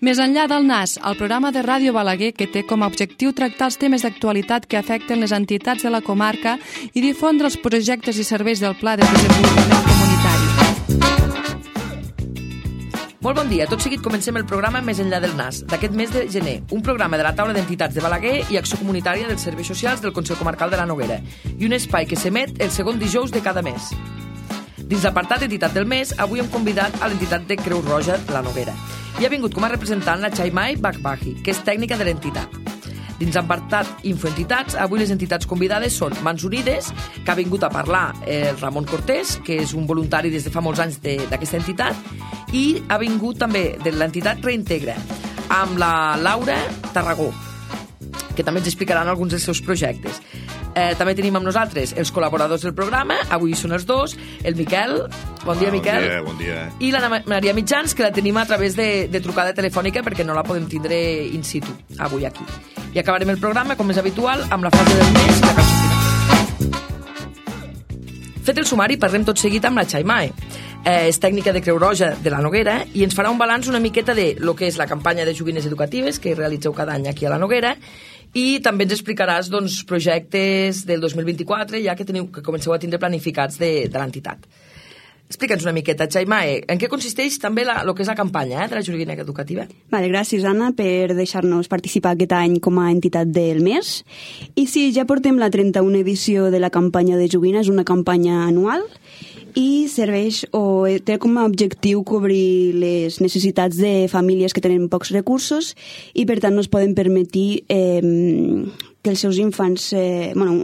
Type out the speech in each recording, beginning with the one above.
Més enllà del NAS, el programa de Ràdio Balaguer que té com a objectiu tractar els temes d'actualitat que afecten les entitats de la comarca i difondre els projectes i serveis del Pla de Desenvolupament Comunitari. Molt bon dia. Tot seguit comencem el programa Més enllà del NAS, d'aquest mes de gener, un programa de la taula d'entitats de Balaguer i acció comunitària dels serveis socials del Consell Comarcal de la Noguera i un espai que s'emet el segon dijous de cada mes. Dins l'apartat Entitat del Mes, avui hem convidat a l'entitat de Creu Roja de la Noguera i ha vingut com a representant la Chaimay Bakbahi, que és tècnica de l'entitat. Dins l'apartat Infoentitats, avui les entitats convidades són Mans Unides, que ha vingut a parlar el Ramon Cortés, que és un voluntari des de fa molts anys d'aquesta entitat, i ha vingut també de l'entitat Reintegra, amb la Laura Tarragó, que també ens explicaran alguns dels seus projectes. També tenim amb nosaltres els col·laboradors del programa, avui són els dos, el Miquel, bon dia Miquel, bon dia. I la Maria Mitjans, que la tenim a través de trucada telefònica perquè no la podem tindre in situ avui aquí. I acabarem el programa, com és habitual, amb la frase del mes i la cançó final. Fet el sumari, parlem tot seguit amb la Chaimay. És tècnica de Creu Roja de la Noguera i ens farà un balanç una miqueta de lo que és la campanya de joguines educatives que realitzeu cada any aquí a la Noguera i també ens explicaràs projectes del 2024 ja que comenceu a tindre planificats de l'entitat. Explica'ns una miqueta, Chaimay, en què consisteix també el que és la campanya de la joguina educativa? Vale, gràcies, Anna, per deixar-nos participar aquest any com a entitat del mes. I sí, ja portem la 31a edició de la campanya de joguina, és una campanya anual i serveix o té com a objectiu cobrir les necessitats de famílies que tenen pocs recursos i per tant no es poden permetre que els seus infants,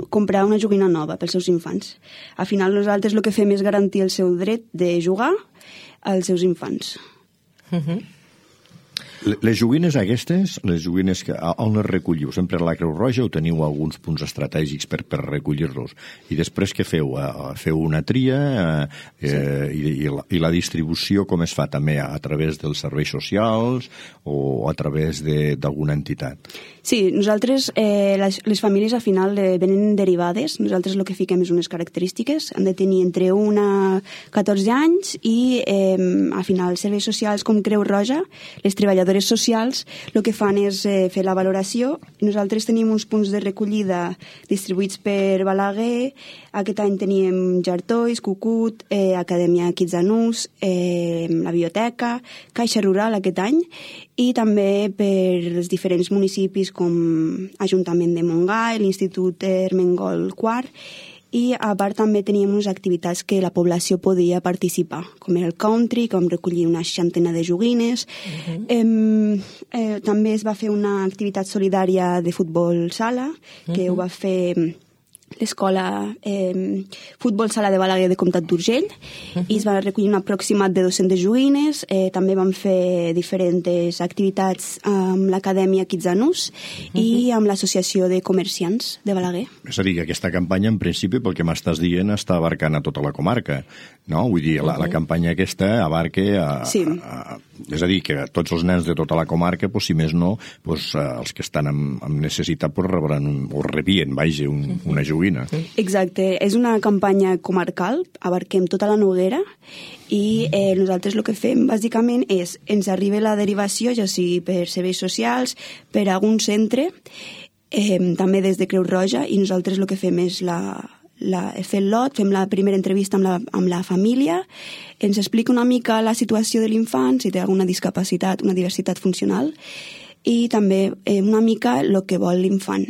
comprar una joguina nova pels seus infants. Al final nosaltres el que fem és garantir el seu dret de jugar als seus infants. Les joguines aquestes, les joguines on les recolliu? Sempre a la Creu Roja o teniu alguns punts estratègics per recollir-los? I després què feu? Feu una tria i la distribució com es fa també a través dels serveis socials o a través d'alguna entitat? Sí, nosaltres, les famílies al final venen derivades. Nosaltres el que fiquem és unes característiques. Han de tenir entre 1 a 14 anys i al final serveis socials com Creu Roja, les treballadores socials, el que fan és fer la valoració. Nosaltres tenim uns punts de recollida distribuïts per Balaguer. Aquest any teníem Jartois, Cucut, Acadèmia Quitsanús, la biblioteca, Caixa Rural aquest any, i també per els diferents municipis com Ajuntament de Montgai, l'Institut Ermengol IV, i a part també teníem unes activitats que la població podia participar, com era el country, com recollir una 60 de joguines. També es va fer una activitat solidària de futbol sala, que ho va fer l'escola Futbol Sala de Balaguer de Comtat d'Urgell, i es va recollir un aproximat de 200 joguines. També vam fer diferents activitats amb l'Acadèmia Quitsanús i amb l'Associació de Comerciants de Balaguer. És a dir, que aquesta campanya, en principi, pel que m'estàs dient, està abarcant a tota la comarca, no? Vull dir, la campanya aquesta abarca sí. És a dir, que tots els nens de tota la comarca, si més no, els que estan amb necessitat rebran o rebien, una joguina. Exacte, és una campanya comarcal, abarquem tota la Noguera i nosaltres el que fem bàsicament és, ens arriba la derivació, ja sigui per serveis socials, per algun centre, també des de Creu Roja, i nosaltres el que fem és fer el lot, fem la primera entrevista amb la família, ens explica una mica la situació de l'infant, si té alguna discapacitat, una diversitat funcional, i també una mica el que vol l'infant.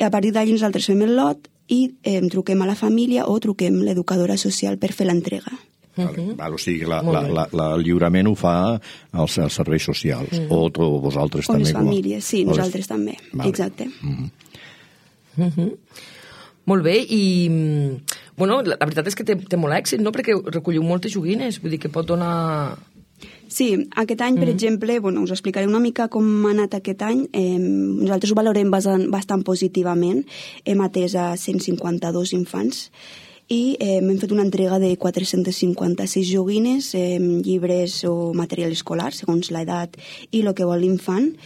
I a partir d'allí nosaltres fem el lot i truquem a la família o truquem l'educadora social per fer l'entrega. O sigui, el lliurament ho fa els serveis socials, o vosaltres també? O les famílies, sí, nosaltres també, exacte. Molt bé, i la veritat és que té molt èxit, no? Perquè recolliu moltes joguines, vull dir que pot donar... Sí, aquest any, per exemple, us explicaré una mica com ha anat aquest any. Nosaltres ho valorem bastant positivament. Hem atès a 152 infants i hem fet una entrega de 456 joguines, llibres o material escolar, segons l'edat i el que vol l'infant.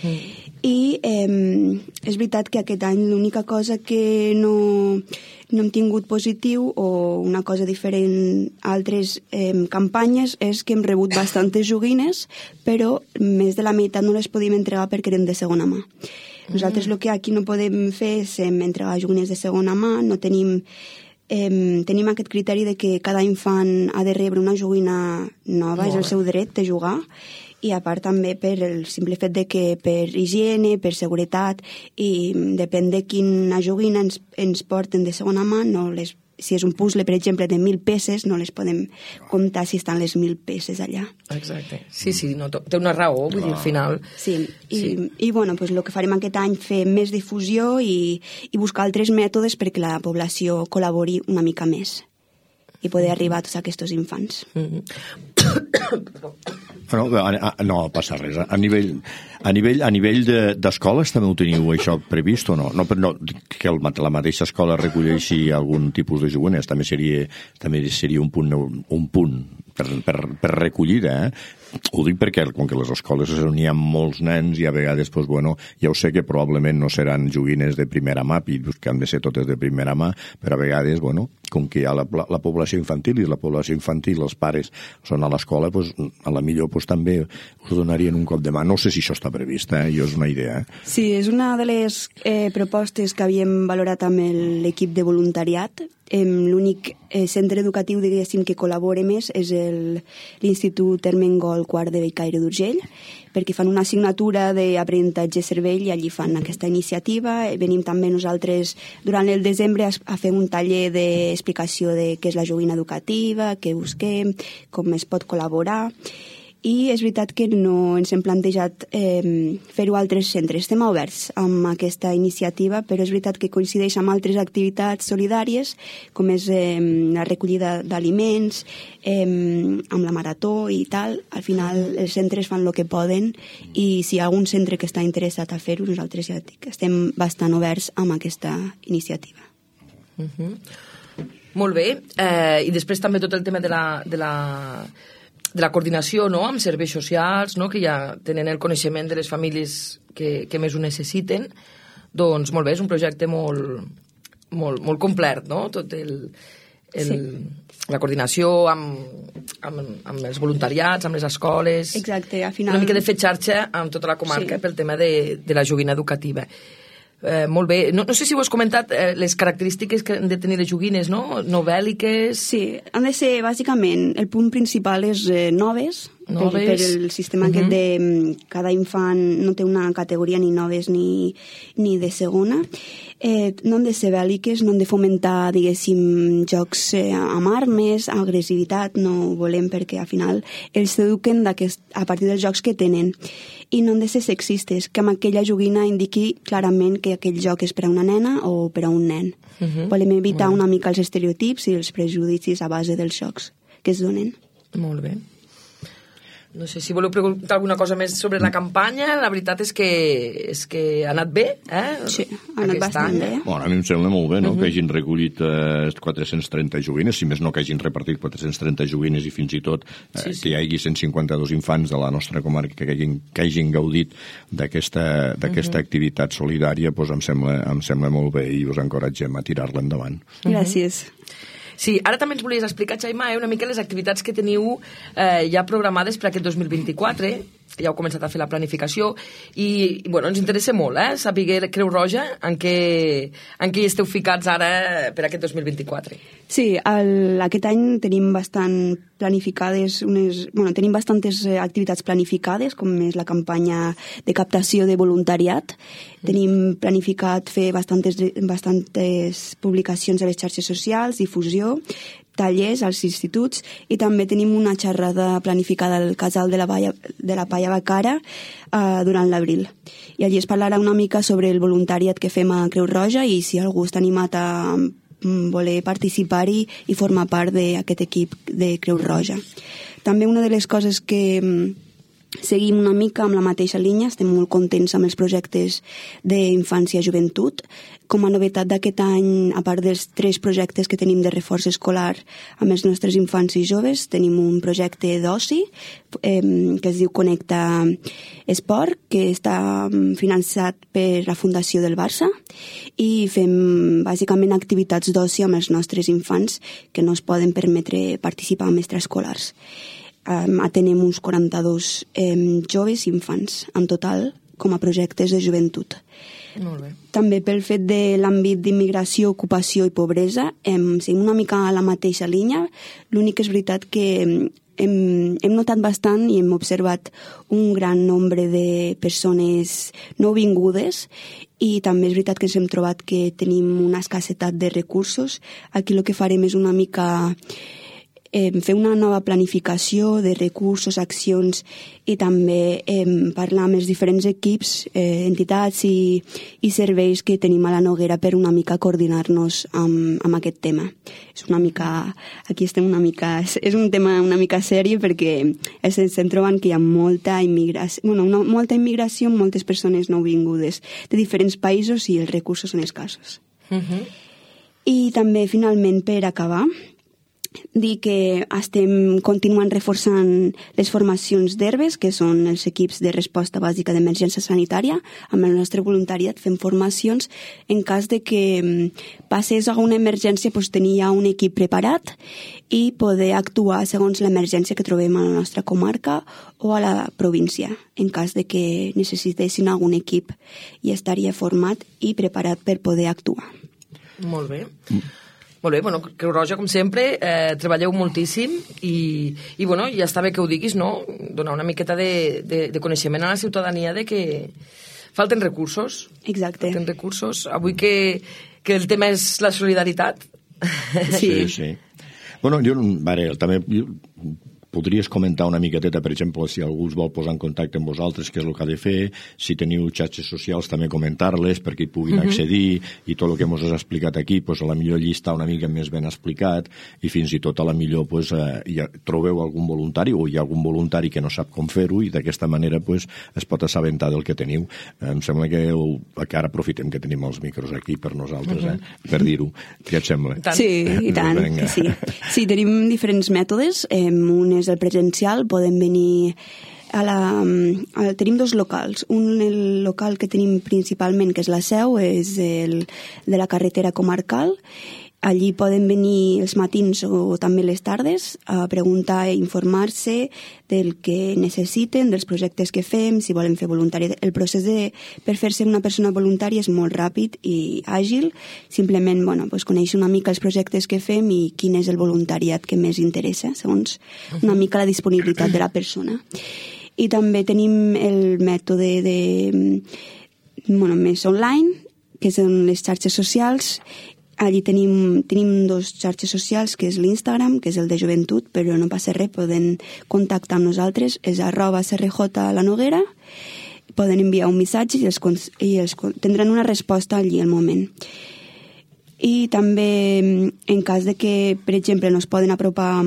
I és veritat que aquest any l'única cosa que no hem tingut positiu o una cosa diferent a altres campanyes és que hem rebut bastantes joguines, però més de la meitat no les podíem entregar perquè eren de segona mà. Nosaltres el que aquí no podem fer és entregar joguines de segona mà, no tenim aquest criteri de que cada infant ha de rebre una joguina nova, és el seu dret de jugar, i a part també per el simple fet de que per higiene, per seguretat, i depèn de quina joguina ens porten de segona mà, si és un puzzle, per exemple, de 1.000 peces, no les podem comptar si estan les 1.000 peces allà. Exacte. Sí, no, té una raó, vull dir, al final. Sí, i bueno, pues, el que farem aquest any fer més difusió i buscar altres mètodes perquè la població col·labori una mica més i poder arribar a tots aquests infants. No passa res. A nivell d'escoles també ho teniu això previst o no? No que la mateixa escola recolleixi algun tipus de joguines, també seria un punt per recollida, Ho dic perquè, com que les escoles n'hi ha molts nens i a vegades, ja ho sé que probablement no seran joguines de primera mà, que han de ser totes de primera mà, però a vegades, com que hi ha la població infantil i la població infantil, els pares són a l'escola, a la millor també us donarien un cop de mà. No sé si això està previst, jo és una idea. Sí, és una de les propostes que havíem valorat amb l'equip de voluntariat. L'únic centre educatiu, diguéssim, que col·labora més és l'Institut Ermengol Quart de Bellcaire d'Urgell, perquè fan una assignatura d'aprenentatge cervell i allí fan aquesta iniciativa. Venim també nosaltres durant el desembre a fer un taller d'explicació de què és la joguina educativa, què busquem, com es pot col·laborar. I és veritat que no ens hem plantejat fer-ho a altres centres. Estem oberts amb aquesta iniciativa, però és veritat que coincideix amb altres activitats solidàries, com és la recollida d'aliments, amb la marató i tal. Al final els centres fan el que poden i si hi ha algun centre que està interessat a fer-ho, nosaltres ja dic, estem bastant oberts amb aquesta iniciativa. Molt bé. I després també tot el tema de la coordinació, no?, amb serveis socials, no?, que ja tenen el coneixement de les famílies que més ho necessiten. Doncs molt bé, és un projecte molt complet, no?, tot la coordinació amb els voluntariats, amb les escoles. Exacte, al final... Una mica de fer xarxa amb tota la comarca pel tema de la joguina educativa. Molt bé. No sé si ho has comentat, les característiques que han de tenir les joguines, no? Novèl·liques... Sí, han de ser, bàsicament, el punt principal és noves, per el sistema aquest de cada infant no té una categoria ni noves ni de segona. No han de ser bèl·liques, no han de fomentar, diguéssim, jocs amb armes, agressivitat, no ho volem perquè al final ells s'eduquen a partir dels jocs que tenen. I no han de ser sexistes, que amb aquella joguina indiqui clarament que aquell joc és per a una nena o per a un nen. Volem evitar una mica els estereotips i els prejudicis a base dels jocs que es donen. Molt bé. No sé si voleu preguntar alguna cosa més sobre la campanya. La veritat és que ha anat bé, Sí, ha anat bastant bé. Bueno, a mi em sembla molt bé, no?, que hagin recollit 430 joguines, si més no que hagin repartit 430 joguines i fins i tot que hi hagi 152 infants de la nostra comarca que hagin gaudit d'aquesta activitat solidària, doncs em sembla molt bé i us encoratgem a tirar-la endavant. Gràcies. Sí, ara també ens volies explicar, Xaima, una mica les activitats que teniu ja programades per aquest 2024, ja heu començat a fer la planificació i ens interessa molt saber Creu Roja en què hi esteu ficats ara per aquest 2024. Sí, aquest any tenim tenim bastantes activitats planificades, com és la campanya de captació de voluntariat. Tenim planificat fer bastantes publicacions a les xarxes socials, difusió, tallers als instituts i també tenim una xerrada planificada al casal de la Palla Bacara durant l'abril. I allí es parlarà una mica sobre el voluntariat que fem a Creu Roja i si algú està animat a voler participar-hi i formar part d'aquest equip de Creu Roja. També una de les coses que seguim una mica amb la mateixa línia, estem molt contents amb els projectes d'infància i joventut. Com a novetat d'aquest any, a part dels 3 projectes que tenim de reforç escolar amb els nostres infants i joves, tenim un projecte d'oci que es diu Connecta Esport, que està finançat per la Fundació del Barça, i fem bàsicament activitats d'oci amb els nostres infants que no es poden permetre participar en extraescolars. Atenem uns 42 joves i infants en total com a projectes de joventut. Molt bé. També pel fet de l'àmbit d'immigració, ocupació i pobresa, seguim una mica a la mateixa línia. L'únic és veritat que hem notat bastant i hem observat un gran nombre de persones nouvingudes, i també és veritat que ens hem trobat que tenim una escassetat de recursos. Aquí el que farem és una mica fer una nova planificació de recursos, accions, i també parlar amb els diferents equips, entitats i serveis que tenim a la Noguera per una mica coordinar-nos amb aquest tema. És una mica, aquí estem una mica, és un tema una mica sèrie perquè estem trobant que hi ha molta immigració, moltes persones nouvingudes de diferents països i els recursos són escassos. I també, finalment, per acabar, dir que estem continuant reforçant les formacions d'herbes, que són els equips de resposta bàsica d'emergència sanitària. Amb el nostre voluntariat fem formacions en cas de que passés alguna emergència, tenir ja un equip preparat i poder actuar segons l'emergència que trobem a la nostra comarca o a la província. En cas de que necessitessin algun equip, i estaria format i preparat per poder actuar. Molt bé. Molt bé, bueno, Creu Roja, com sempre, treballeu moltíssim i ja està bé que ho diguis, no? Donar una miqueta de coneixement a la ciutadania de que falten recursos. Exacte. Falten recursos. Avui que el tema és la solidaritat. Sí. Bueno, jo també podries comentar una miqueteta, per exemple, si algú us vol posar en contacte amb vosaltres, què és el que ha de fer, si teniu xarxes socials també comentar-les perquè hi puguin accedir, i tot el que ens has explicat aquí, a la millor allí està una mica més ben explicat, i fins i tot a la millor trobeu algun voluntari o hi ha algun voluntari que no sap com fer-ho, i d'aquesta manera es pot assabentar del que teniu. Em sembla que ara aprofitem que tenim els micros aquí per nosaltres, per dir-ho. Què et sembla? Sí, i tant, que sí. Sí, tenim diferents mètodes. Un és el presencial, podem venir tenim 2 locals. El local que tenim principalment, que és la seu, és el de la carretera comarcal. Allí poden venir els matins o també les tardes a preguntar i informar-se del que necessiten, dels projectes que fem, si volen fer voluntari. El procés per fer-se una persona voluntària és molt ràpid i àgil. Simplement, conèixer una mica els projectes que fem i quin és el voluntariat que més interessa, segons una mica la disponibilitat de la persona. I també tenim el mètode més online, que són les xarxes socials. Allí tenim 2 xarxes socials, que és l'Instagram, que és el de joventut, però no passa res, poden contactar amb nosaltres, és @CRJ La Noguera, poden enviar un missatge i tindran una resposta allí al moment. I també, en cas de que, per exemple, no es poden apropar,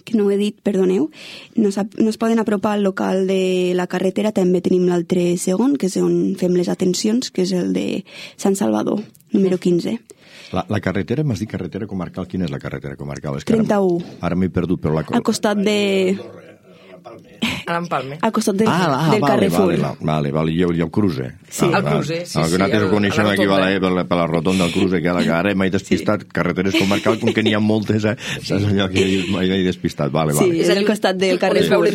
que no ho he dit, perdoneu, no es poden apropar al local de la carretera, també tenim l'altre segon, que és on fem les atencions, que és el de Sant Salvador, número 15. La carretera, m'has dit carretera comarcal, quina és la carretera comarcal? 31. Ara m'he perdut, però al costat de... A l'Empalme. Al costat del Carrefour. Vale, i el Cruze. Sí, el Cruze, sí. Que nosaltres ho coneixem aquí per la rotonda del Cruze, que ara m'he despistat, carreteres comarcal, com que n'hi ha moltes, és allò que mai he despistat. Sí, és al costat del Carrefour.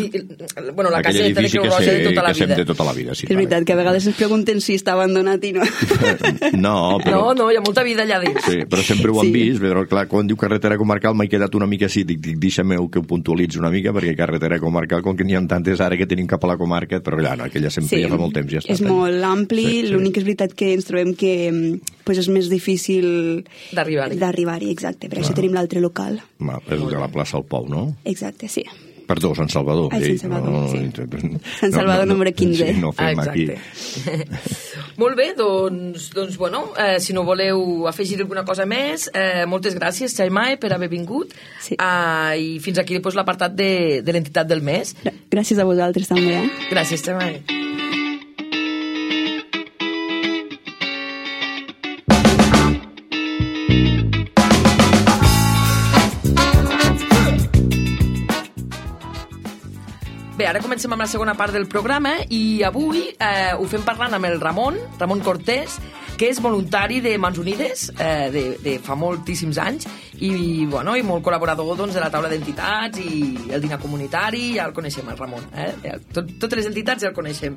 Bueno, la caseta de Creu Roja de tota la vida. De tota la vida, sí. És veritat que a vegades ens pregunten si està abandonat i no. No, hi ha molta vida allà dins. Sí, però sempre ho han vist, però clar, quan diu carretera comarcal m'he quedat una mica així, dic, deixa'm que ho puntualitzi una mica, perquè carretera comarcal, com que n'hi ha tantes ara que tenim cap a la comarca, però allà no, aquella sempre ja fa molt temps ja està. És molt ampli, l'únic és veritat que ens trobem que és més difícil d'arribar-hi, exacte, per això tenim l'altre local. És de la plaça al Pou, no? Exacte, sí. Perdó, Sant Salvador. Sant Salvador, sí. Sant Salvador número 15. Sí, no fem aquí. Molt bé, doncs bueno, si no voleu afegir alguna cosa més, moltes gràcies, Xaimae, per haver vingut. Sí. I fins aquí l'apartat de l'entitat del mes. Gràcies a vosaltres també. Gràcies, Xaimae. Bé, ara comencem amb la segona part del programa i avui ho fem parlant amb el Ramon Cortés, que és voluntari de Mans Unides de fa moltíssims anys i molt col·laborador de la taula d'entitats i el dinar comunitari, ja el coneixem, el Ramon. Totes les entitats ja el coneixem.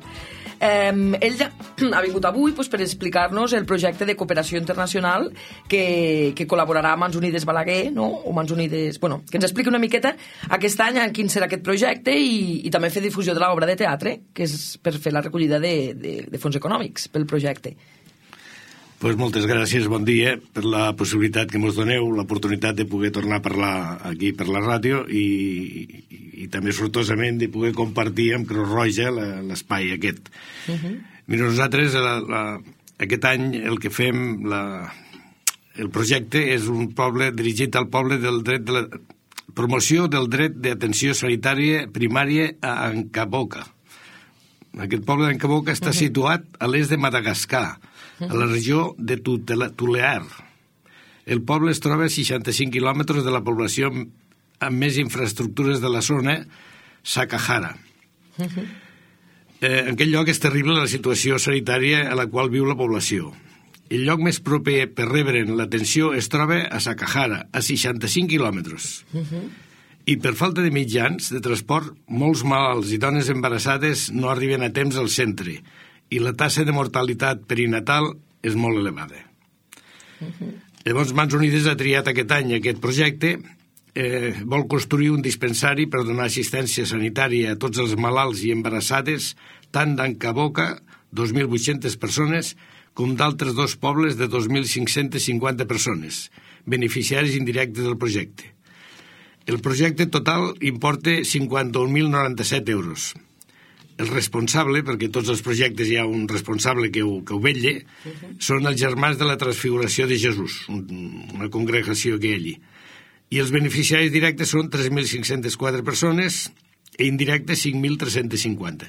Ell ha vingut avui per explicar-nos el projecte de cooperació internacional que col·laborarà amb Mans Unides Balaguer, o Mans Unides... que ens expliqui una miqueta aquest any quin serà aquest projecte i també fer difusió de l'obra de teatre, que és per fer la recollida de fons econòmics pel projecte. Pues moltes gràcies, bon dia, per la possibilitat que ens doneu, l'oportunitat de poder tornar a parlar aquí per la ràdio i també sortosament de poder compartir amb Creu Roja l'espai aquest. Mira, nosaltres aquest any el que fem, el projecte és un poble dirigit al poble del dret de la promoció del dret d'atenció sanitària primària a Ancaboca. Aquest poble d'Ancaboca està situat a l'est de Madagascar, a la regió de Tulear. El poble es troba a 65 quilòmetres de la població amb més infraestructures de la zona, Sakahara. En aquest lloc és terrible la situació sanitària a la qual viu la població. El lloc més proper per rebre'n l'atenció es troba a Sakahara, a 65 quilòmetres. I per falta de mitjans de transport, molts malalts i dones embarassades no arriben a temps al centre i la taxa de mortalitat perinatal és molt elevada. Llavors, Mans Unides ha triat aquest any aquest projecte, vol construir un dispensari per donar assistència sanitària a tots els malalts i embarassades, tant d'Ancaboca, 2.800 persones, com d'altres dos pobles de 2.550 persones, beneficiaris indirectes del projecte. El projecte total importa 51.097 euros. El responsable, perquè tots els projectes hi ha un responsable que ho vetlla, són els Germans de la Transfiguració de Jesús, una congregació que hi ha allí. I els beneficiaris directes són 3.504 persones i indirectes 5.350.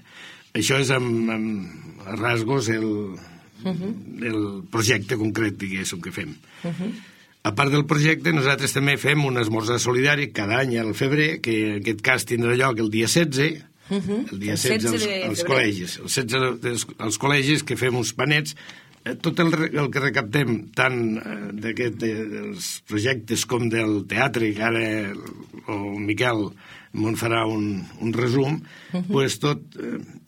Això és amb rasgos el projecte concret, diguéssim, que fem. A part del projecte, nosaltres també fem un esmorzar solidari cada any al febrer, que en aquest cas tindrà lloc el dia 16, el dia 16 als col·legis. El 16 als col·legis, que fem uns panets. Tot el que recaptem, tant dels projectes com del teatre, que ara el Miquel me'n farà un resum, doncs tot,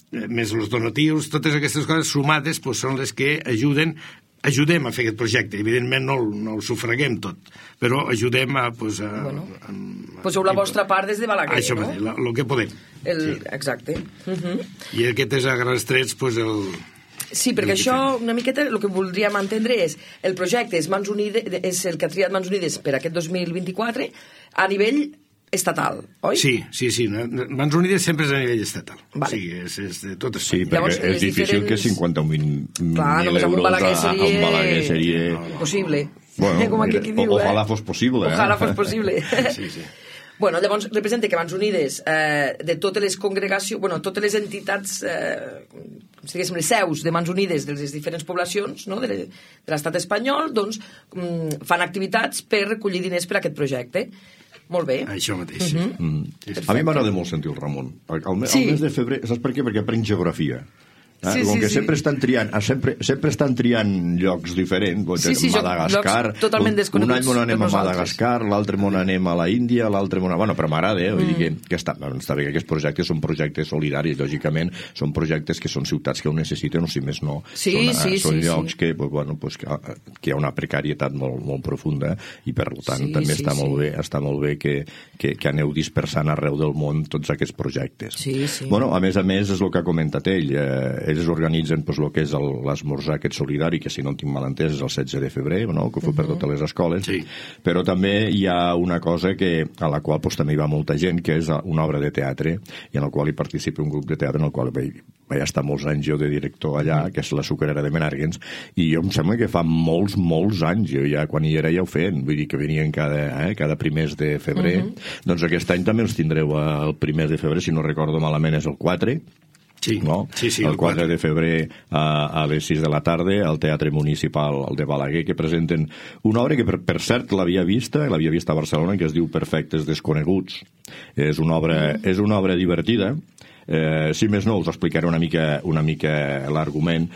més els donatius, totes aquestes coses sumades són les que ajudem a fer aquest projecte. Evidentment no el sufraguem tot, però ajudem a... Poseu la vostra part des de Balaguer, això, no? Això, el que podem. Exacte. I aquest és a grans trets el... Sí, perquè això, una miqueta, el que voldríem entendre és el projecte és el que ha triat Mans Unides per aquest 2024 a nivell estatal, oi? Sí. Mans Unides sempre és a nivell estatal. Vale. O sigui, és de tot Espanya. Sí, perquè llavors, és difícil que 51.000 euros a Balaguer seria... Impossible. Bueno, ojalà fos possible. Ojalà fos possible. Sí. Bueno, llavors representa que Mans Unides, de totes les congregacions, totes les entitats, diguéssim, les seus de Mans Unides de les diferents poblacions de l'estat espanyol, doncs fan activitats per recollir diners per a aquest projecte. Molt bé. Això mateix. A mi m'agrada molt sentir el Ramon. Al mes de febrer, saps per què? Perquè aprenc geografia. Com que sempre estan triant llocs diferents, Madagascar, totalment desconeguts. Un any on anem a Madagascar, l'altre on anem a la Índia, l'altre on... Bueno, però m'agrada, vull dir que està bé, aquests projectes són projectes solidaris, lògicament, són projectes que són ciutats que ho necessiten, o si més no, són llocs que hi ha una precarietat molt profunda i per tant també està molt bé que aneu dispersant arreu del món tots aquests projectes. Sí. Bueno, a més és el que ha comentat ell ells organitzen el que és l'esmorzar aquest solidari, que si no en tinc mal entès és el 16 de febrer, no? Que ho fa per totes les escoles, sí. Però també hi ha una cosa a la qual també hi va molta gent, que és una obra de teatre, i en la qual hi participa un grup de teatre en el qual vaig estar molts anys jo de director allà, que és la Sucarera de Menàrguens, i jo em sembla que fa molts anys, jo ja quan hi era ja ho feien, vull dir que venien cada primers de febrer. Doncs aquest any també els tindreu el primer de febrer, si no recordo malament és el 4, sí, no? Sí, el 4 de febrer a les 6 de la tarda al Teatre Municipal de Balaguer, que presenten una obra que per cert l'havia vista a Barcelona, que es diu Perfectes Desconeguts. És una obra divertida. Si més no, us explicaré una mica l'argument,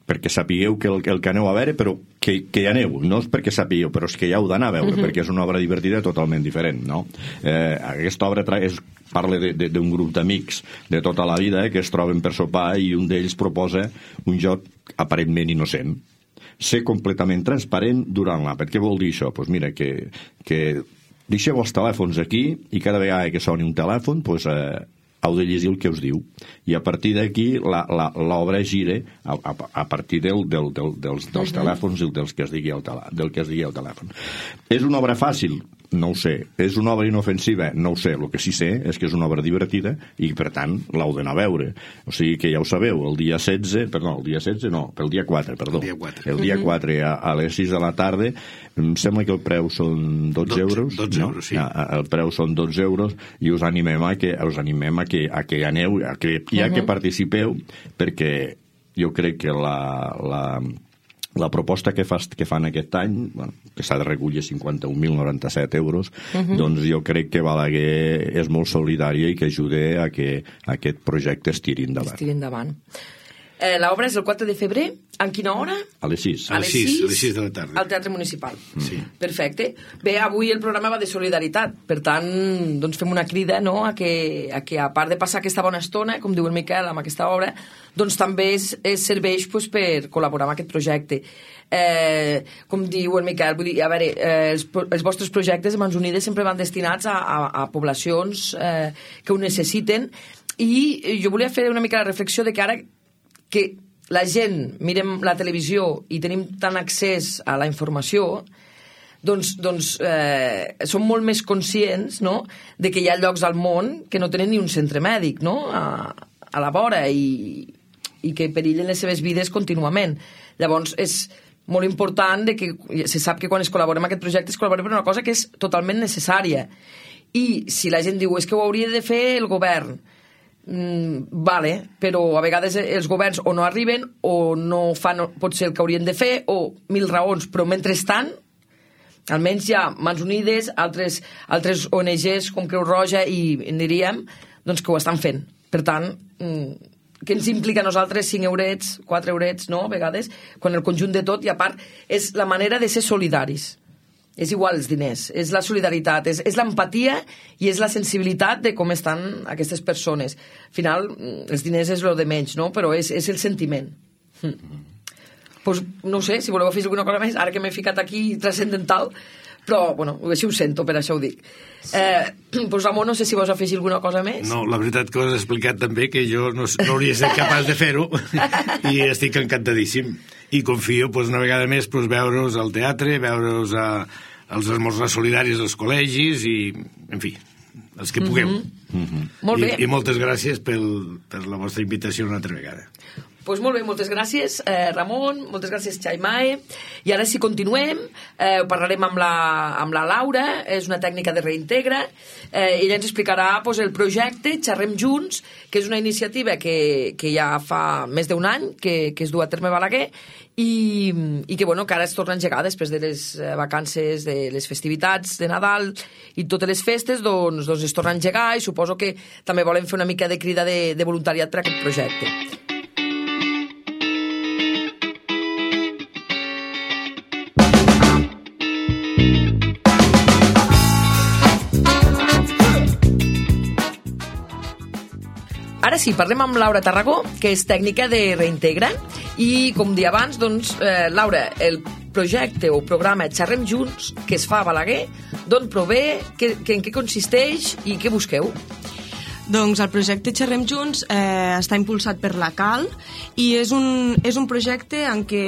perquè sapigueu que el que aneu a veure, però que hi aneu, no és perquè sapigueu, però és que ja heu d'anar a veure, perquè és una obra divertida totalment diferent, no? Aquesta obra parla d'un grup d'amics de tota la vida que es troben per sopar i un d'ells proposa un joc aparentment innocent, ser completament transparent durant l'àpat. Què vol dir això? Doncs mira, que deixeu els telèfons aquí i cada vegada que soni un telèfon heu de llegir el que us diu, i a partir d'aquí l'obra gira a partir dels telèfons i del que es digui al telèfon. És una obra fàcil? No ho sé. És una obra inofensiva? No ho sé. El que sí sé és que és una obra divertida i, per tant, l'heu d'anar a veure. O sigui que ja ho sabeu, el dia 4, el dia 4 a les 6 de la tarda, em sembla que el preu són 12 euros. 12 euros, sí. El preu són 12 euros i us animem a que aneu, que participeu, perquè jo crec que la proposta que fan aquest any, que s'ha de recollir 51.097 euros, doncs jo crec que Balaguer és molt solidària i que ajuda a que aquest projecte es tiri endavant. L'obra és el 4 de febrer. En quina hora? A les 6. A les 6 de la tarda. Al Teatre Municipal. Sí. Perfecte. Bé, avui el programa va de solidaritat. Per tant, doncs fem una crida, no?, a que a part de passar aquesta bona estona, com diu el Miquel, amb aquesta obra, doncs també serveix per col·laborar amb aquest projecte. Com diu el Miquel, vull dir, a veure, els vostres projectes de Mans Unides sempre van destinats a poblacions que ho necessiten, i jo volia fer una mica la reflexió de que ara que la gent mirem la televisió i tenim tant accés a la informació, doncs som molt més conscients, no?, de que hi ha llocs al món que no tenen ni un centre mèdic, no?, a la vora, i que perillen les seves vides contínuament. Llavors és molt important que se sap que quan es col·labora amb aquest projecte es col·labora per una cosa que és totalment necessària. I si la gent diu és que ho hauria de fer el govern, vale, però a vegades els governs o no arriben o no fan potser el que haurien de fer, o mil raons, però mentrestant almenys hi ha Mans Unides, altres ONGs com Creu Roja i diríem doncs que ho estan fent. Per tant, què ens implica a nosaltres 5 eurets, 4 eurets, no?, a vegades, quan el conjunt de tot, i a part és la manera de ser solidaris. És igual els diners, és la solidaritat, és l'empatia i és la sensibilitat de com estan aquestes persones. Al final, els diners és el de menys, no?, però és el sentiment. Pues, no sé, si voleu fer alguna cosa més, ara que m'he ficat aquí transcendental, però, bueno, així ho sento, per això ho dic. Pues, Ramon, no sé si vols afegir alguna cosa més. No, la veritat que ho has explicat també, que jo no hauria estat capaç de fer-ho, i estic encantadíssim. I confio, una vegada més, veure'ls al teatre, veure'ls als esmorzars solidaris dels col·legis i, en fi, els que pugueu. Molt bé. I moltes gràcies per la vostra invitació una altra vegada. Doncs molt bé, moltes gràcies, Ramon, moltes gràcies, Xaimae. I ara, si continuem, parlarem amb la Laura, és una tècnica de Reintegra. Ella ens explicarà el projecte Xerrem Junts, que és una iniciativa que ja fa més d'un any que es du a terme a Balaguer i que ara es torna a engegar després de les vacances, de les festivitats de Nadal i totes les festes, doncs es torna a engegar, i suposo que també volem fer una mica de crida de voluntariat per a aquest projecte. Ara sí, parlem amb Laura Tarragó, que és tècnica de Reintegra, i com dia abans, doncs, Laura, el projecte o programa Xerrem Junts, que es fa a Balaguer, d'on prové, en què consisteix i què busqueu? Doncs el projecte Xerrem Junts està impulsat per la CAL i és un projecte en què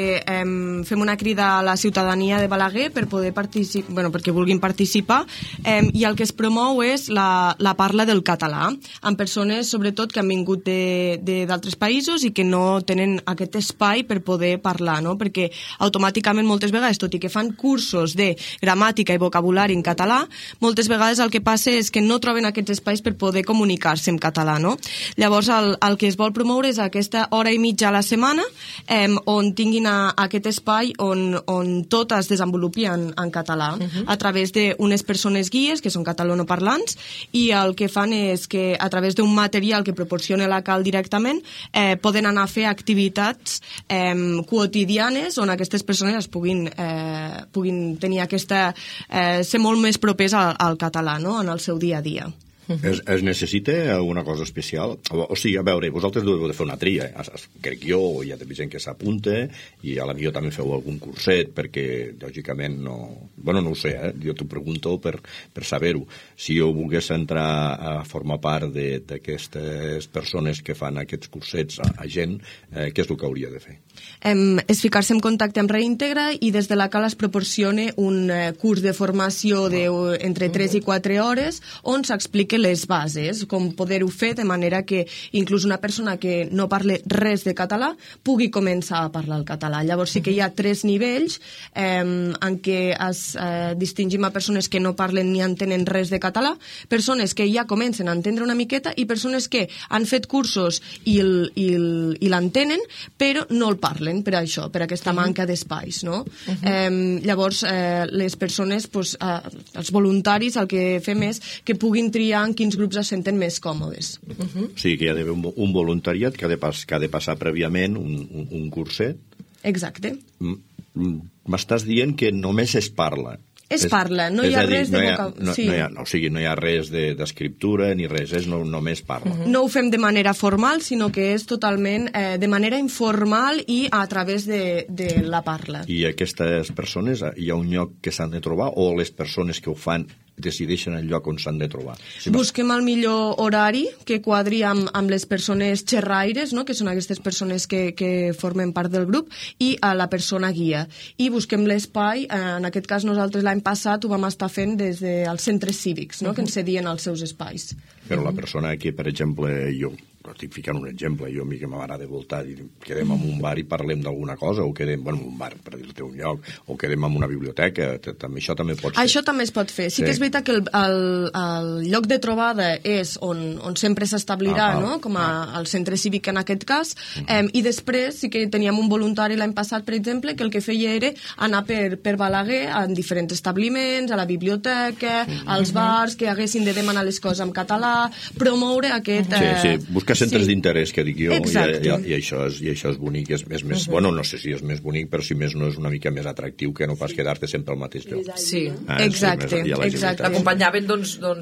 fem una crida a la ciutadania de Balaguer per poder perquè vulguin participar, i el que es promou és la parla del català amb persones sobretot que han vingut d'altres països i que no tenen aquest espai per poder parlar, no? Perquè automàticament moltes vegades, tot i que fan cursos de gramàtica i vocabulari en català, moltes vegades el que passa és que no troben aquests espais per poder comunicar-se en català, no? Llavors el que es vol promoure és aquesta hora i mitja a la setmana on tinguin aquest espai on tot es desenvolupi en català a través d'unes persones guies que són catalanoparlants, i el que fan és que a través d'un material que proporciona la CAL directament poden anar a fer activitats quotidianes on aquestes persones puguin tenir ser molt més propers al català, no? En el seu dia a dia. Es necessita alguna cosa especial? O sigui, a veure, vosaltres deveu de fer una tria, crec jo, hi ha gent que s'apunta, i a la millor també feu algun curset, perquè, lògicament, no... Bueno, no ho sé, jo t'ho pregunto per saber-ho. Si jo volgués entrar a formar part d'aquestes persones que fan aquests cursets a gent, què és el que hauria de fer? És ficar-se en contacte amb Reintegra i des de la CAL es proporciona un curs de formació entre 3 i 4 hores on s'explica les bases, com poder-ho fer de manera que inclús una persona que no parle res de català pugui començar a parlar el català. Llavors sí que hi ha 3 nivells en què distingim a persones que no parlen ni entenen res de català, persones que ja comencen a entendre una miqueta i persones que han fet cursos i l'entenen però no el parlen per això, per aquesta manca d'espais, no? Llavors les persones, els voluntaris, el que fem és que puguin triar en quins grups es senten més còmodes. O sigui que hi ha d'haver un voluntariat que ha de passar prèviament un curset. Exacte. M'estàs dient que només es parla. Es parla, no hi ha res de vocabulari. O sigui, no hi ha res d'escriptura ni res, només parla. No ho fem de manera formal, sinó que és totalment de manera informal i a través de la parla. I aquestes persones, hi ha un lloc que s'han de trobar o les persones que ho fan decideixen el lloc on s'han de trobar? Busquem el millor horari que quadri amb les persones xerraires, no? Que són aquestes persones que formen part del grup, i a la persona guia. I busquem l'espai, en aquest cas nosaltres l'any passat ho vam estar fent des dels centres cívics, no? Que ens cedien els seus espais. Però la persona que, per exemple, jo estic ficant un exemple, jo a mi que m'agrada voltar i quedem en un bar i parlem d'alguna cosa, o quedem, en un bar, per dir-te un lloc, o quedem en una biblioteca, això també pot ser. Això també es pot fer. Sí que és veritat que el lloc de trobada és on sempre s'establirà, no? Com al centre cívic en aquest cas, i després sí que teníem un voluntari l'any passat, per exemple, que el que feia era anar per Balaguer en diferents establiments, a la biblioteca, als bars, que haguessin de demanar les coses en català, promoure aquest... Sí, buscar centres d'interès, que dic jo, i això és bonic, és més, bueno, no sé si és més bonic, però si més no és una mica més atractiu que no pas quedar-te sempre al mateix lloc. Sí, exacte. L'acompanyaven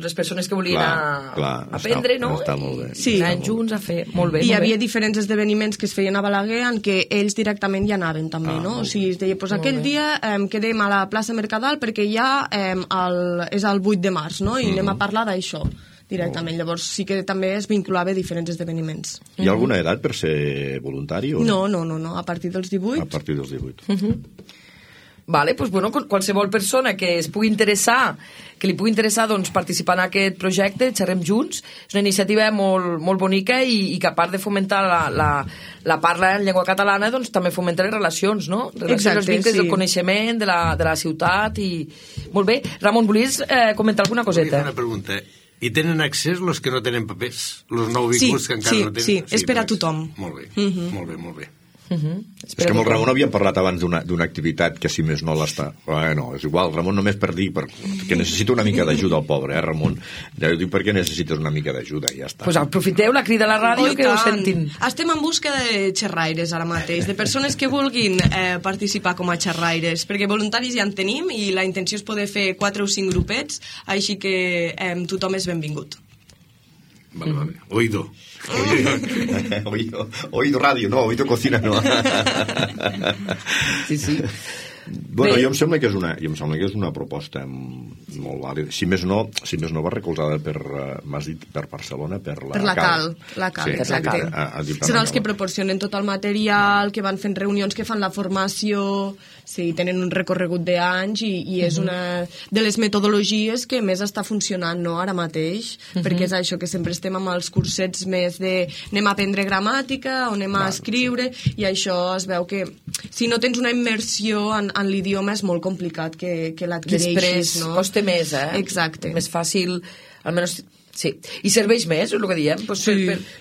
les persones que volien aprendre, no? Està molt bé. Sí. Anaven junts a fer, molt bé. Hi havia diferents esdeveniments que es feien a Balaguer en què ells directament hi anaven també, no? O sigui, es deia, aquell dia quedem a la plaça Mercadal perquè ja és el 8 de març, no? I anem a parlar d'això directament. Llavors sí que també es vinculava a diferents esdeveniments. Hi ha alguna edat per ser voluntari? No, a partir dels 18. A partir dels 18. Vale, doncs bueno, qualsevol persona que es pugui interessar, que li pugui interessar doncs, participar en aquest projecte, Xerrem Junts, és una iniciativa molt, molt bonica i que a part de fomentar la parla en llengua catalana, doncs també fomenta les relacions, no? Els vincles del coneixement de la ciutat i... Molt bé. Ramon, volies comentar alguna coseta? Una pregunta. I tenen accés els que no tenen papers? Els nouvinguts que encara no tenen? Sí, és per a tothom. Molt bé, molt bé. És que amb el Ramon havíem parlat abans d'una activitat que si més no l'està... Bueno, és igual, Ramon, només per dir que necessita una mica d'ajuda al pobre, Ramon? Ja dic, per què necessites una mica d'ajuda? Ja està. Doncs aprofiteu la crida a la ràdio que ho sentin. Estem en busca de xerraires ara mateix, de persones que vulguin participar com a xerraires, perquè voluntaris ja en tenim i la intenció és poder fer 4 o 5 grupets, així que tothom és benvingut. Vale. Oído radio, no, oído cocina, no. Sí. Bueno, jo em sembla que és una proposta molt vàlida. Si més no va recolzada per, m'has dit, per Barcelona, per la CAL. La CAL, sí, exacte. Seran els que proporcionen tot el material, que van fent reunions, que fan la formació, sí, tenen un recorregut d'anys i és una de les metodologies que més està funcionant, no?, ara mateix, perquè és això, que sempre estem amb els cursets més de anem a aprendre gramàtica o anem a escriure, i això es veu que si no tens una immersió en l'idioma és molt complicat que l'adquireixis, després, no? costa més, Exacte. Més fàcil, almenys... Sí, i serveix més, és el que diem, pues,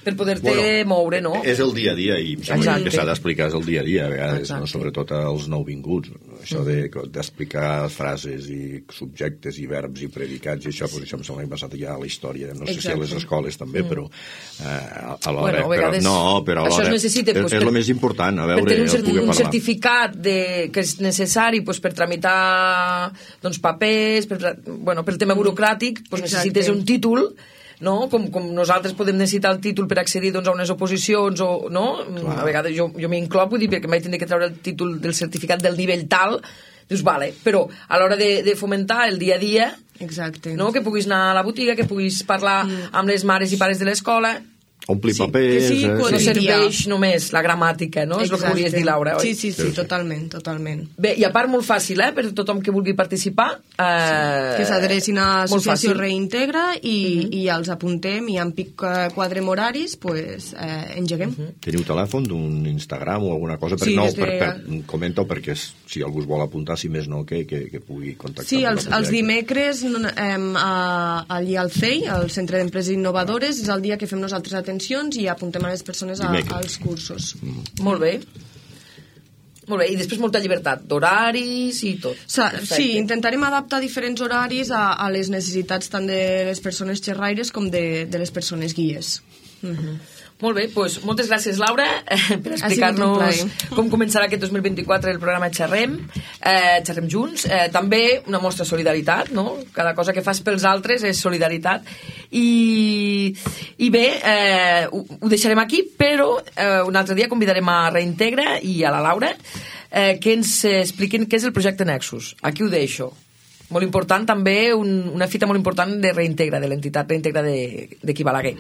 per poder-te moure, no? És el dia a dia, i sembla que s'ha d'explicar és el dia a dia, a vegades, no? Sobretot als nouvinguts. Això d'explicar frases i subjectes i verbs i predicats, i això, pues, això em sembla que ha passat ja a la història. No sé si a les escoles també, però alhora... Bueno, però alhora és el més important, a veure, per tenir un certificat que és necessari per tramitar papers, pel tema burocràtic, necessites un títol, no? Com nosaltres podem necessitar el títol per accedir a unes oposicions, no? A vegades jo m'hi incloc, vull dir, perquè mai tindré que treure el títol del certificat del nivell tal, dius, vale, però a l'hora de fomentar el dia a dia, no? Que puguis anar a la botiga, que puguis parlar amb les mares i pares de l'escola, omplir papers... No serveix només la gramàtica, no? És el que volies dir, Laura, oi? Sí, totalment. Bé, i a part molt fàcil, per tothom que vulgui participar. Que s'adrecin a Associació Reintegra i els apuntem, i en pic quadrem horaris, engeguem. Teniu telèfon d'un Instagram o alguna cosa? Comenta-ho perquè si algú es vol apuntar, si més no, que pugui contactar. Sí, els dimecres allí al CEI, al Centre d'Empreses Innovadores, és el dia que fem nosaltres i apuntem a les persones als cursos. Molt bé, i després molta llibertat d'horaris i tot. Sí, intentarem adaptar diferents horaris a les necessitats tant de les persones xerraires com de les persones guies. Molt bé, doncs moltes gràcies, Laura, per explicar-nos com començarà aquest 2024 el programa Xerrem Junts. També una mostra de solidaritat, no? Cada cosa que fas pels altres és solidaritat. I bé, ho deixarem aquí, però un altre dia convidarem a Reintegra i a la Laura que ens expliquin què és el projecte Nexus. Aquí ho deixo. Molt important també, una fita molt important de Reintegra, de l'entitat Reintegra d'aquí Balaguer.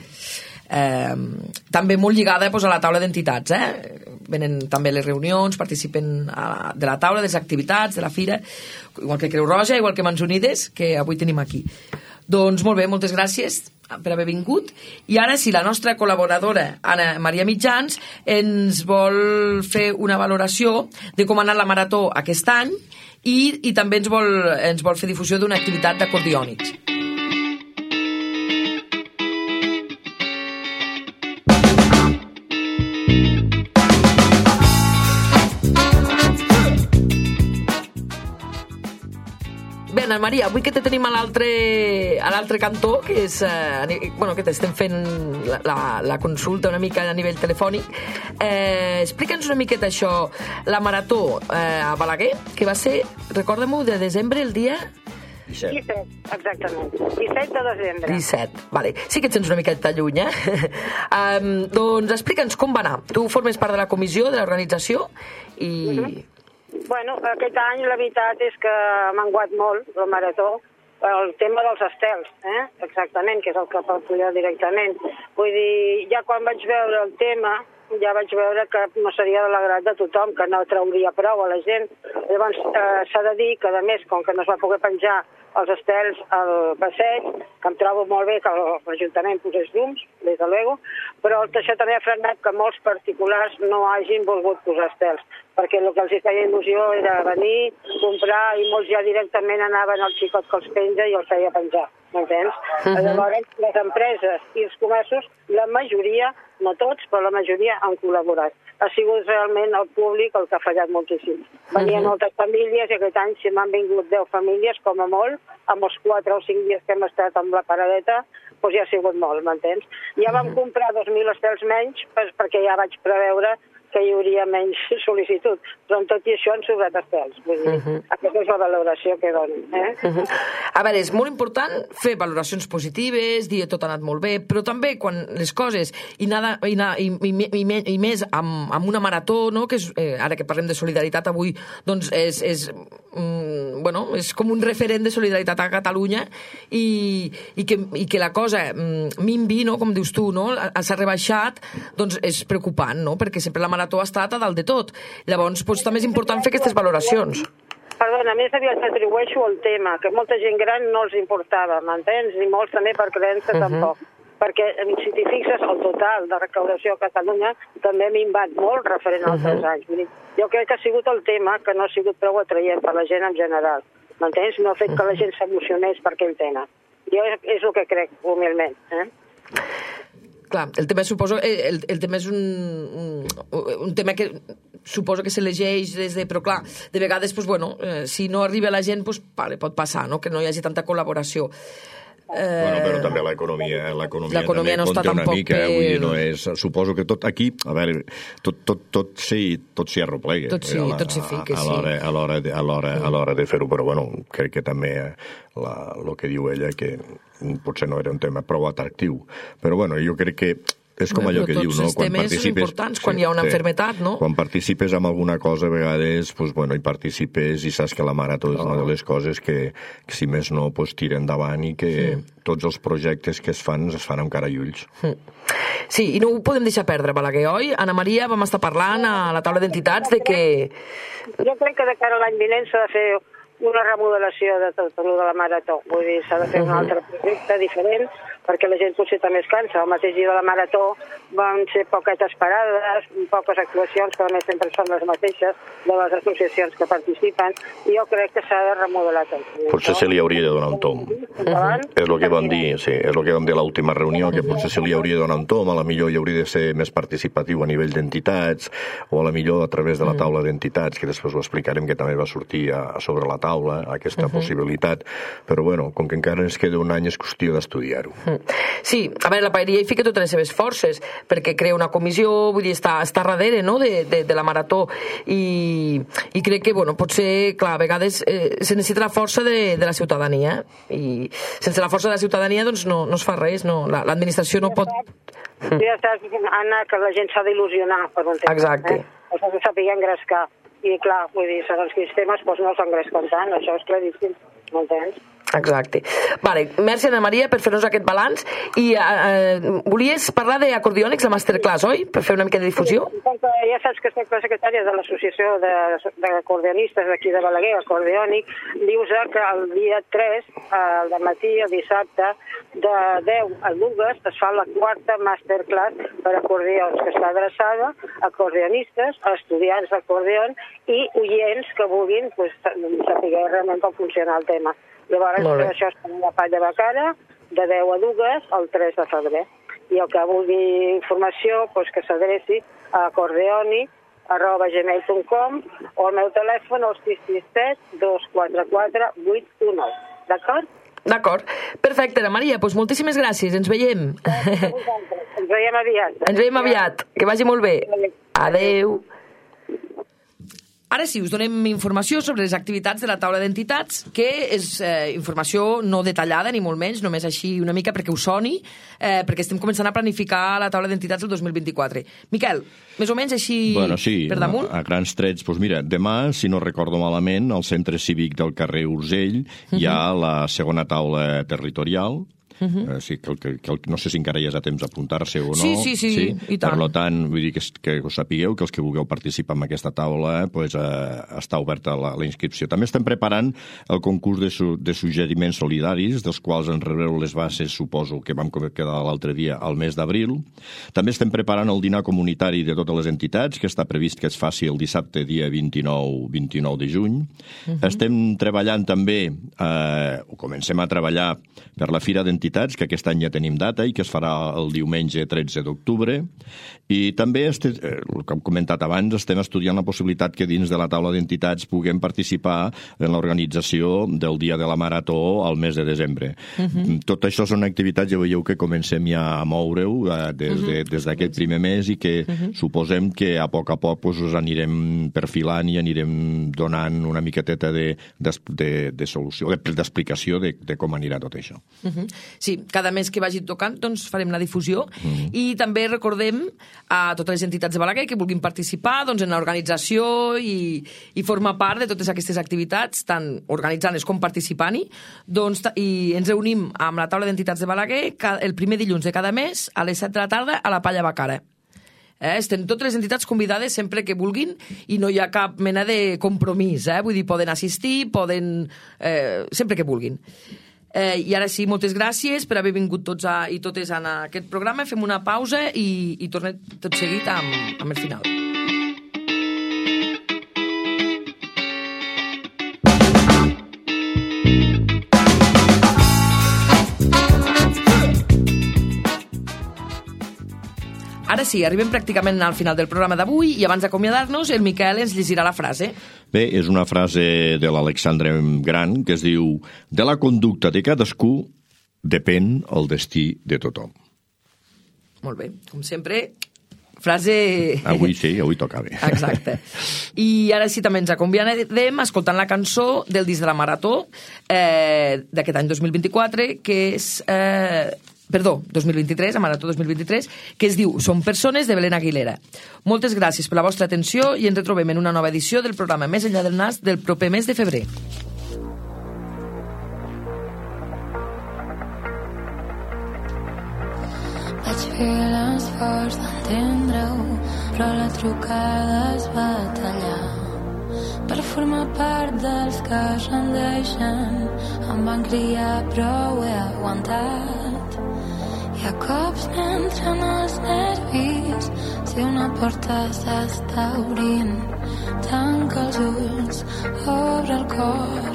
També molt lligada a la taula d'entitats, venen també les reunions, participen de la taula, de les activitats, de la fira, igual que Creu Roja, igual que Mans Unides, que avui tenim aquí. Doncs molt bé, moltes gràcies per haver vingut, i ara si la nostra col·laboradora Anna Maria Mitjans ens vol fer una valoració de com ha anat la marató aquest any i també ens vol fer difusió d'una activitat d'acordiònics. Bé, Anna Maria, avui que te tenim a l'altre cantó, que és que t'estem fent la consulta una mica a nivell telefònic, explica'ns una miqueta això, la marató a Balaguer, que va ser, recorda-m'ho, de desembre, el dia... 17, exactament. 17 de desembre. 17, vale. Sí que et sents una miqueta lluny, doncs explica'ns com va anar. Tu formes part de la comissió, de l'organització, i... Bueno, aquest any la veritat és que m'ha menguat molt la marató, el tema dels estels, exactament, que és el que pujar directament. Vull dir, ja quan vaig veure el tema, ja vaig veure que no seria de l'agrat de tothom, que no trauria prou a la gent. Llavors, s'ha de dir que, a més, com que no es va poder penjar els estels al passeig, que em trobo molt bé que l'Ajuntament posés llums, des de luego, però això també ha frenat que molts particulars no hagin volgut posar estels, perquè el que els feia il·lusió era venir, comprar, i molts ja directament anaven al xicot que els penja i els feia penjar, m'entens? Llavors, les empreses i els comerços, la majoria, no tots, però la majoria han col·laborat. Ha sigut realment el públic el que ha fallat moltíssim. Venien moltes famílies i aquest any si m'han vingut 10 famílies, com a molt, amb els 4 o 5 dies que hem estat amb la paradeta, doncs ja ha sigut molt, m'entens? Ja vam comprar 2.000 estels menys perquè ja vaig preveure que hi hauria menys sol·licitud. Però en tot i això han sobrat estels. Vull dir, aquesta és la valoració que donen. A veure, és molt important fer valoracions positives, dir tot ha anat molt bé, però també quan les coses, i més amb una marató, no? Que és, ara que parlem de solidaritat avui, doncs és com un referent de solidaritat a Catalunya i que la cosa minvi, no? Com dius tu, no? S'ha rebaixat, doncs és preocupant, no? Perquè sempre la marató ha estat a dalt de tot. Llavors, doncs, també és important fer aquestes valoracions. Perdona, més aviat atribueixo el tema, que molta gent gran no els importava, m'entens? I molts també per creença tampoc. Perquè, si t'hi fixes, el total de recaudació a Catalunya també ha minvat molt referent als 3 anys. Vull dir, jo crec que ha sigut el tema que no ha sigut prou atraient per la gent en general. M'entens? No ha fet que la gent s'emocionés per aquell tema. Jo és el que crec, humilment. Clar, el tema suposo... El tema és un tema que suposo que s'elegeix des de... Però clar, de vegades, si no arriba la gent, pot passar, no? Que no hi hagi tanta col·laboració. Però també l'economia també no està compta una tampoc mica, vull dir, no és... Suposo que tot aquí, a veure, tot s'hi arroplega. Tot s'hi fica, sí. A l'hora de fer-ho, però crec que també el que diu ella, que potser no era un tema prou atractiu. Però jo crec que és com allò que diu, no? Tots els temes són importants quan hi ha una malaltia, no? Quan participes en alguna cosa, a vegades, hi participes i saps que la marató és una de les coses que, si més no, tira endavant i que tots els projectes que es fan amb cara i ulls. Sí, i no ho podem deixar perdre, Balaguer, oi? Anna Maria, vam estar parlant a la taula d'entitats de que... Jo crec que de cara a l'any vinent s'ha de fer una remodelació de tot el de la marató. Vull dir, s'ha de fer un altre projecte diferent, perquè la gent potser també es cansa. El mateix dia de la marató van ser poquetes parades, poques actuacions, que a més sempre són les mateixes de les associacions que participen, i jo crec que s'ha de remodelar tot. Potser se li hauria de donar un tom. És el que vam dir, sí, és el que vam dir a l'última reunió, que potser se li hauria de donar un tom, a la millor hi hauria de ser més participatiu a nivell d'entitats, o a la millor a través de la taula d'entitats, que després ho explicarem, que també va sortir sobre la taula, aquesta possibilitat, però com que encara ens queda un any és qüestió d'estudiar-ho. Sí, a veure, la paeria hi fica totes les seves forces, perquè crea una comissió, vull dir, està darrere, no?, de la marató, i crec que, potser, clar, a vegades se necessita la força de la ciutadania, i sense la força de la ciutadania, doncs, no es fa res, no, l'administració no pot... Ja saps, Anna, que la gent s'ha d'il·lusionar per un temps. Exacte. S'ha de saber engrescar, i clar, vull dir, segons quins temes, no s'engresquen tant, això és claríssim, m'entens? Exacte. Vale, merci, Anna Maria, per fer-nos aquest balanç. I volies parlar d'acordiònics, la masterclass, oi? Per fer una mica de difusió? Ja saps que soc la secretària de l'Associació d'Acordionistes d'aquí de Balaguer, Acordiònic. Dius que el dia 3, al matí, el dissabte, de 10 a 2, es fa la 4ª masterclass per acordions, que està adreçada a acordionistes, a estudiants d'acordion i oients que vulguin saber realment com funciona el tema. Llavors, això és la Palla de Cara, de 10 a 2, el 3 de febrer. I el que vulgui informació, que s'adreci a acordeoni@gmail.com o al meu telèfon, el 667 244 819. D'acord? D'acord. Perfecte, Anna Maria, doncs moltíssimes gràcies, ens veiem. Ens veiem aviat. Ens veiem aviat, que vagi molt bé. Adeu. Ara sí, us donem informació sobre les activitats de la taula d'entitats, que és informació no detallada, ni molt menys, només així una mica perquè us soni, perquè estem començant a planificar la taula d'entitats del 2024. Miquel, més o menys així per damunt? A grans trets, doncs mira, demà, si no recordo malament, al Centre Cívic del carrer Urgell hi ha la segona taula territorial. Sí, no sé si encara hi ha temps d'apuntar-se o no. Sí, i tant. Per tant, vull dir que us sapigueu que els que vulgueu participar en aquesta taula està oberta la inscripció. També estem preparant el concurs de suggeriments solidaris, dels quals en rebreu les bases, suposo que vam quedar l'altre dia, al mes d'abril. També estem preparant el dinar comunitari de totes les entitats, que està previst que es faci el dissabte, dia 29 de juny. Estem treballant també, comencem a treballar per la Fira d'Entitats entitats, que aquest any ja tenim data i que es farà el diumenge 13 d'octubre. I també, el que hem comentat abans, estem estudiant la possibilitat que dins de la taula d'entitats puguem participar en l'organització del Dia de la Marató al mes de desembre. Tot això són activitats, ja veieu que comencem ja a moure-ho des d'aquest primer mes i que suposem que a poc us anirem perfilant i anirem donant una miqueteta de solució, d'explicació de com anirà tot això. Sí, cada mes que vagi tocant doncs farem la difusió i també recordem a totes les entitats de Balaguer que vulguin participar doncs, en l'organització i formar part de totes aquestes activitats, tant organitzant-les com participant-hi, doncs, i ens reunim amb la taula d'entitats de Balaguer el primer dilluns de cada mes a les 7 de la tarda a la Palla Bacara. Estem totes les entitats convidades sempre que vulguin i no hi ha cap mena de compromís, vull dir, poden assistir, sempre que vulguin. I ara sí, moltes gràcies per haver vingut tots i totes en aquest programa. Fem una pausa i tornem tot seguit amb el final. Ara sí, arribem pràcticament al final del programa d'avui i abans d'acomiadar-nos el Miquel ens llegirà la frase. Bé, és una frase de l'Alexandre Gran que es diu: de la conducta de cadascú depèn el destí de tothom. Molt bé, com sempre, frase... Avui sí, avui toca bé. Exacte. I ara sí també ens acomiadem escoltant la cançó del disc de la Marató d'aquest any 2024, que és... 2023, a Marató 2023, que es diu Som persones, de Belén Aguilera. Moltes gràcies per la vostra atenció i ens retrobem en una nova edició del programa Més enllà del nas del proper mes de febrer. Vaig fer l'esforç d'entendre-ho, però la trucada es va tallar. Per formar part dels que es rendeixen, em van criar però ho he aguantat. Hi ha cops m'entren els nervis, si una porta s'està obrint, tanca els ulls, obre el cor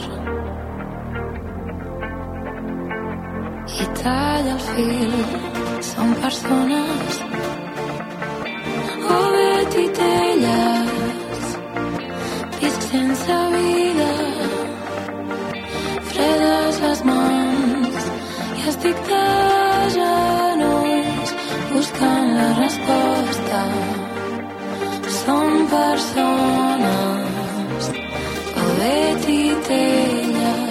i talla el fil. Som persones o bé titelles, visc sense vida, fredes les mans i estic de genolls buscant la resposta. Som persones o bé titelles.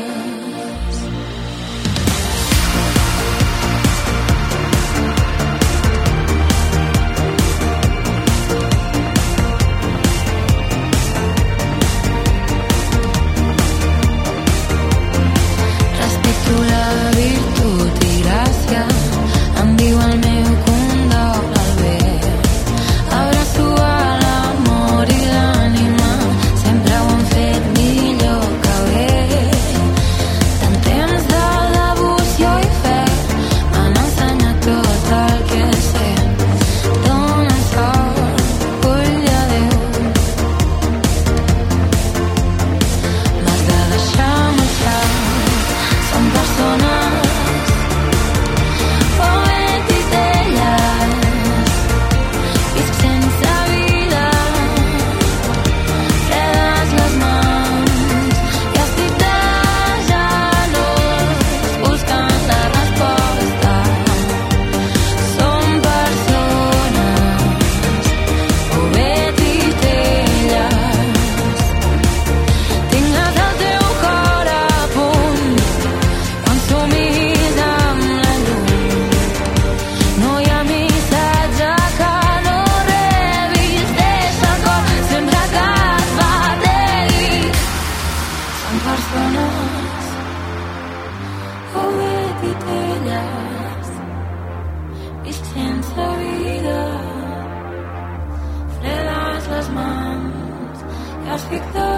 Estic de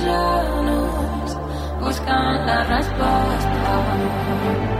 genolls buscant la resposta.